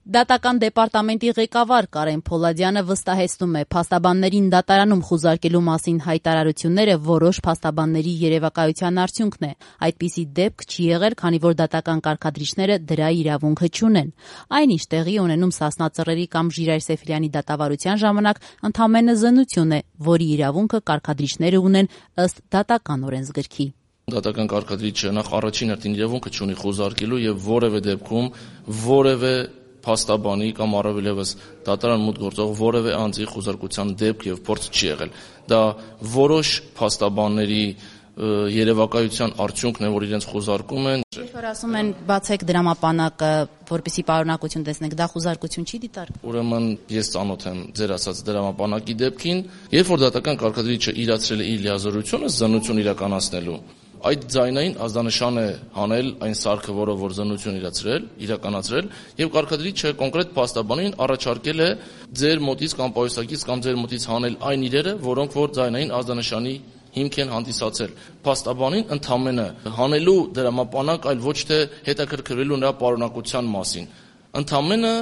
Դատական դեպարտամենտի ղեկավար Կարեն Փոլադյանը վստահեցնում է, փաստաբաններին դատարանում խուզարկելու մասին հայտարարությունները որոշ փաստաբանների երևակայության արդյունքն է։ Այդպիսի դեպք չի եղել, քանի որ դատական կարգադրիչները դրա իրավունքը չունեն։ Այն, ինչ տեղի ունենում Սասնա Ծռերի կամ Ժիրայր Սեֆիլյանի դատավարության ժամանակ, ընդամենը զննություն է, որի իրավունքը կարգադրիչները ունեն ըստ դատական օրենսգրքի։ Դատական կարգադրիչը նախ առաջին հերթին իրավունքը չունի խուզարկելու եւ որևէ դեպքում որևէ փաստաբանի կամ առավելևս դատարան մուտք գործող որևէ անձի խուզարկության դեպք եւ փորձ չի եղել։ Դա որոշ փաստաբանների երևակայության արդյունքն է, որ իրենց խուզարկում են։ Երբ որ ասում են բացեք դրամապանակը, որպեսզի պարունակություն տեսնենք, դա խուզարկություն չի դիտարկվում։ Ուրեմն ես ծանոթ եմ ձեր ասած դրամապանակի դեպքին, երբ որ դատական կարգադրիչը իրացրել է իր լիազորությունը զննություն իրականացնելու, այդ ձայնային ազդանշան է հանել այն սարքը, որը որ զննություն իրականացրել, եւ կարգադրիչը կոնկրետ փաստաբանին առաջարկել է ձեր մոտից կամ պայուսակից կամ ձեր մոտից հանել այն իրերը, որոնք որ ձայնային ազդանշանի հիմք են հանդիսացել։ Փաստաբանին ընդամենը հանելու դրամապանակ, այլ ոչ թե հետաքրքրվելու նրա պարունակության մասին։ Ընդամենը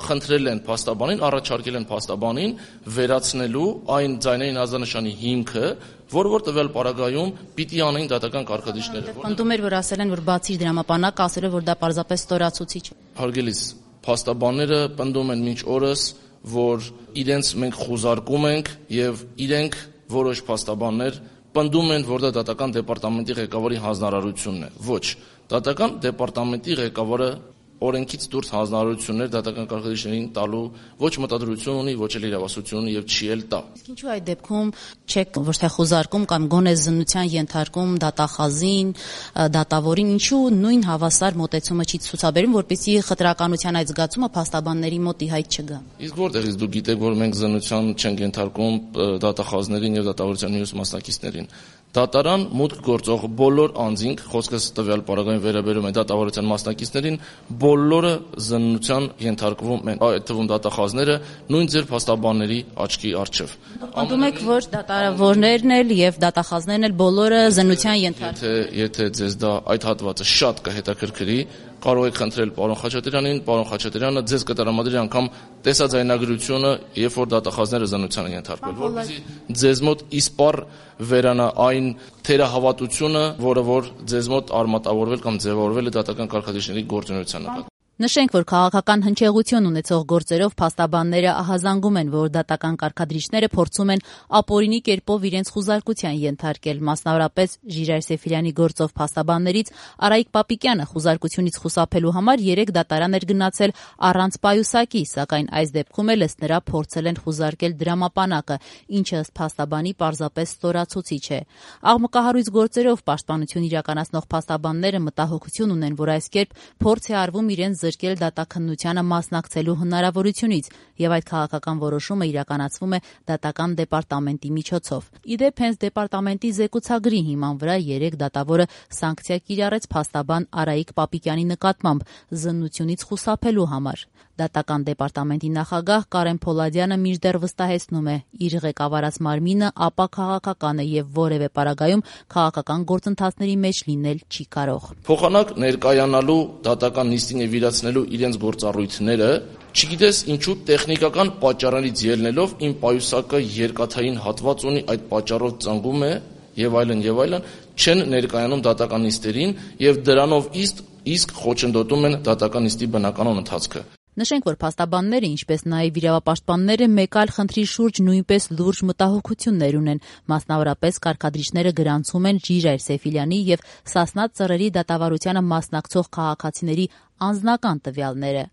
խնդրել են փաստաբանին, առաջարկել են փաստաբանին վերացնելու այն ձայնային ազդանշանի հիմքը, որ տվյալ պարագայում պիտի անեն դատական կարգադրիչները։ Պնդում էր, որ ասել են, որ բացի դրամապանակը, ասել է, որ դա պարզապես ստորացուցիչ է։ Հարգելիս, փաստաբանները պնդում են մինչ օրս, որ իրենց մենք խուզարկում ենք եւ իրենք որոշ փաստաբաններ պնդում են, որ դա դատական դեպարտամենտի ղեկավարի հանձնարարությունն է։ Ոչ, դատական դեպարտամենտի ղեկավարը օրենքից դուրս հանձնարարություններ դատական կարգադրիչներին տալու ոչ մտադրություն ունի, ոչ էլ իրավասություն ունի եւ չի էլ տա։ Իսկ ինչու այդ դեպքում չեք ոչ թե խուզարկում կամ գոնե զննության ենթարկում դատախազին, դատավորին, ինչու նույն հավասար մոտեցումը չի ցուցաբերում, որպեսզի խտրականության այդ զգացումը փաստաբանների մոտ ի հայտ չգա։ Իսկ որտեղից դուք գիտեք, որ մենք զննության չենք ենթարկում դատախազներին եւ դատավորության մյուս մասնակիցներին։ Դատարան մուտք գործող բոլոր անձինք, խոսքս տվյալ պարագայում վերաբերում է դատավարության մասնակիցներին, բոլորը զննության ենթարկվում են, այդ թվում դատախազները նույն ձեր փաստաբանների աչքի առջև։ Պնդում եք, որ դատավորներն էլ եւ դատախազներն էլ բոլորը զննության ենթարկվում։ Եթե ձեզ դա այդ հատվածը շատ կհետաքրքրի, կարող եք խնդրել պարոն Խաչատրյանին, պարոն Խաչատրյանը ձեզ կտրամադրի անգամ տեսաձայնագրությունը, երբ որ դատախազները զննության են ենթարկվել, որպեսզի ձեզ մոտ իսպառ վերանա այն թերահավատությունը, որը որ ձեզ մոտ արմատավորվել կամ ձևավորվել է դատական կարգադրիչների գործունեության նկատմամբ։ Նշենք, որ քաղաքական հնչեղություն ունեցող գործերով փաստաբանները ահազանգում են, որ դատական կարգադրիչները փորձում են ապօրինի կերպով իրենց խուզարկության ենթարկել, մասնավորապես Ժիրայր Սեֆիլյանի գործով փաստաբաններից Արայիկ Պապիկյանը խուզարկությունից խուսափելու համար 3 դատարան էր գնացել առանց պայուսակի, սակայն այս դեպքում էլ ըստ նրա փորձել են խուզարկել դրամապանակը, ինչը ըստ փաստաբանի պարզապես ստորացուցիչ է։ Աղմկահարույց գործերով պաշտպանություն իրականացնող փաստաբանները մտահոգություն ունեն, որ այս կերպ փորձ է արվում իրենց զրկել դատաքննությանը մասնակցելու հնարավորությունից եւ այդ քաղաքական որոշումը իրականացվում է դատական դեպարտամենտի միջոցով։ Իդեպ հենց դեպարտամենտի զեկուցագրի հիման վրա 3 դատավորը սանկցիա կիրառեց փաստաբան Արայիկ Պապիկյանի նկատմամբ զննությունից խուսափելու համար։ Դատական դեպարտամենտի նախագահ Կարեն Փոլադյանը մինչդեռ վստահեցնում է, իր ղեկավարած մարմինը ապա քաղաքական է եւ որևէ պարագայում քաղաքական գործընթացների մեջ լինել չի կարող։ Փոխանակ ներկայանալու դատական նիստին եւ իրացնելու իրենց գործառույթները, չգիտես ինչու տեխնիկական պատճառներից ելնելով իմ պայուսակը երկաթային հատված ունի, այդ պատճառով ծնգում է եւ այլն, չեն ներկայանում դատական նիստերին եւ դրանով իսկ խոչընդոտում են դատական նիստի բնականon ընթացքը։ Նշենք, որ փաստաբանները, ինչպես նաև իրավապաշտպանները, մեկ այլ խնդրի շուրջ նույնպես լուրջ մտահոգություններ ունեն, մասնավորապես կարգադրիչները գրանցում են Ժիրայր Սեֆիլյանի եւ Սասնա Ծռերի դատավարությանը մասնակցող քաղաքացիների անձնական տվյալները։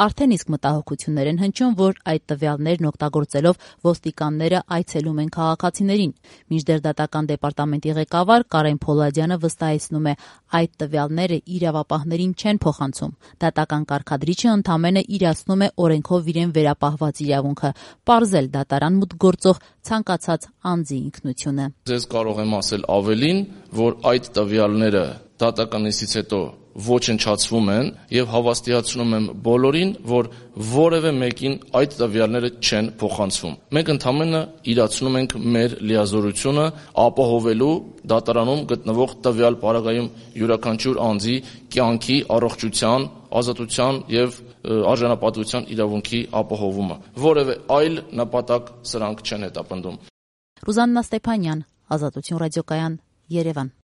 Արդեն իսկ մտահոգություններ են հնչում, որ այդ տվյալներն օգտագործելով ոստիկանները այցելում են քաղաքացիներին։ Մինչդեռ դատական դեպարտամենտի ղեկավար Կարեն Փոլադյանը վստահեցնում է, այդ տվյալները իրավապահներին չեն փոխանցում։ Դատական կարգադրիչը ընդամենը իրացնում է օրենքով իրեն վերապահված իրավունքը, պարզել դատարան մուտք գործող ցանկացած անձի ինքնությունը։ Ձեզ կարող եմ ասել ավելին, որ այդ տվյալները դատական նիստից հետո ոչնչացվում են եւ հավաստիացնում եմ բոլորին, որ որևէ մեկին այդ տվյալները չեն փոխանցվում։ Մենք ընդամենը իրացնում ենք մեր լիազորությունը ապահովելու դատարանում գտնվող տվյալ պարագայում յուրաքանչյուր անձի կյանքի, առողջության, ազատության եւ արժանապատվության իրավունքի ապահովումը։ Որևէ այլ նպատակ սրանք չեն հետապնդում։ Ռուզաննա Ստեփանյան, Ազատություն ռադիոկայան, Երևան։